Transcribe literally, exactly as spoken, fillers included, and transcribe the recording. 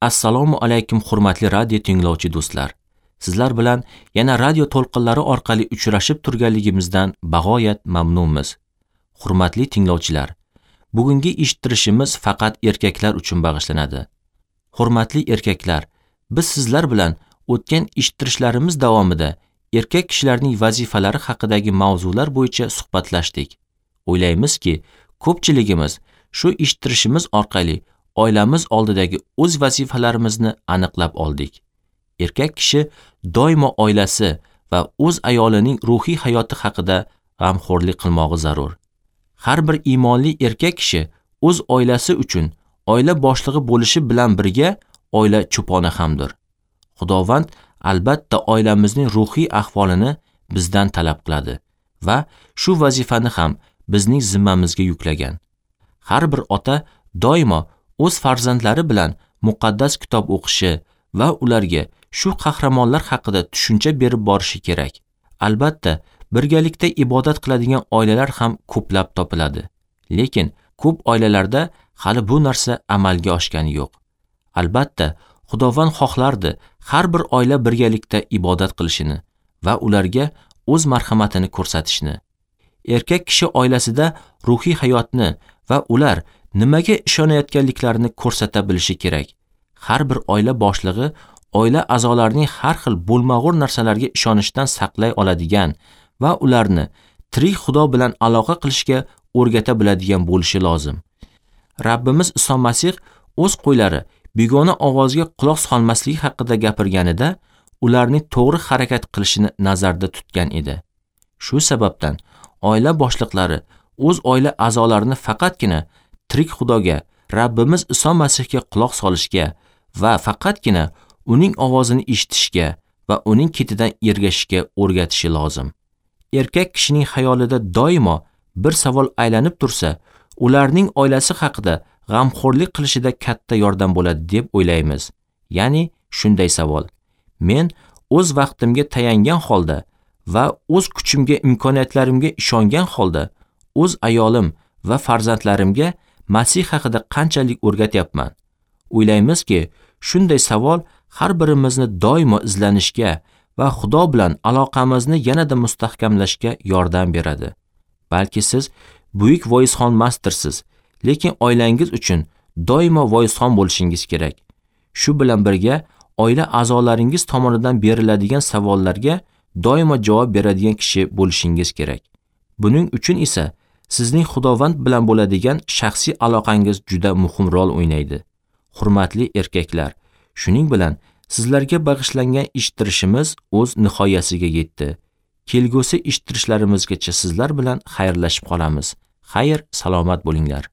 Assalomu alaykum hurmatli radio tinglovchi do'stlar. Sizlar bilan yana radio to'lqinlari orqali uchrashib turganligimizdan bag'oyat mamnunmiz. Hurmatli tinglovchilar, bugungi eshittirishimiz faqat erkaklar uchun bag'ishlanadi. Hurmatli erkaklar, biz sizlar bilan o'tgan eshittirishlarimiz davomida erkak kishilarning vazifalari haqidagi mavzular bo'yicha suhbatlashdik. O'ylaymizki, ko'pchiligimiz shu eshittirishimiz orqali oilamiz oldidagi o'z vazifalarimizni aniqlab oldik. Erkak kishi doimo oilasi va o'z ayolining ruhiy hayoti haqida g'amxo'rlik qilmog'i zarur. Har bir iymonli erkak kishi o'z oilasi uchun oila boshlig'i bo'lishi bilan birga oila cho'poni hamdir. Xudovand albatta oilamizning ruhiy ahvolini bizdan talab qiladi va shu vazifani ham bizning zimmamizga yuklagan. Har bir ota doimo o'z farzandlari bilan muqaddas kitob o'qishi va ularga shu qahramonlar haqida tushuncha berib borishi kerak. Albatta, birgalikda ibodat qiladigan oilalar ham ko'plab topiladi. Lekin ko'p oilalarda hali bu narsa amalga oshgani yo'q. Albatta, Xudovand xohlardi har bir oila birgalikda ibodat qilishini va ularga o'z marhamatini ko'rsatishni. Erkak kishi oilasida ruhiy hayotni va ular nimaga ishonayotganliklarini ko'rsata bilishi kerak. Har bir oila boshlig'i oila a'zolarining har xil bo'lmag'ur narsalarga ishonishdan saqlay oladigan va ularni tirik Xudo bilan aloqa qilishga o'rgata biladigan bo'lishi lozim. Rabbimiz Iso Masih o'z qo'ylari begona ovozga quloq solmasligi haqida gapirganida ularning to'g'ri harakat qilishini nazarda tutgan edi. Shu sababdan oila boshliqlari o'z oila a'zolarini faqatgina tirik Xudoga, Rabbimiz Iso Masihga quloq solishga va faqatgina uning ovozini eshitishga va uning ketidan ergashishga o'rgatishi lozim. Erkak kishining xayolida doimo bir savol aylanib tursa, ularning oilasi haqida g'amxo'rlik qilishida katta yordam bo'ladi deb o'ylaymiz. Ya'ni shunday savol: men o'z vaqtimga tayangan holda va o'z kuchimga, imkoniyatlarimga ishongan holda o'z ayolim va farzandlarimga Masih haqida qanchalik o'rgatyapman? O'ylaymizki, shunday savol har birimizni doimo izlanishga va Xudo bilan aloqamizni yanada mustahkamlashga yordam beradi. Balki siz buyuk voizxon mastersiz, lekin oilangiz uchun doimo voizxon bo'lishingiz kerak. Shu bilan birga oila a'zolaringiz tomonidan beriladigan savollarga doimo javob beradigan kishi bo'lishingiz kerak. Buning uchun esa sizning Xudovand bilan bo'ladigan shaxsiy aloqangiz juda muhim rol o'ynaydi. Hurmatli erkaklar, shuning bilan sizlarga bag'ishlangan eshittirishimiz o'z nihoyasiga yetdi. Kelgusi eshittirishlarimizgacha sizlar bilan xayrlashib qolamiz. Xayr, salomat bo'linglar.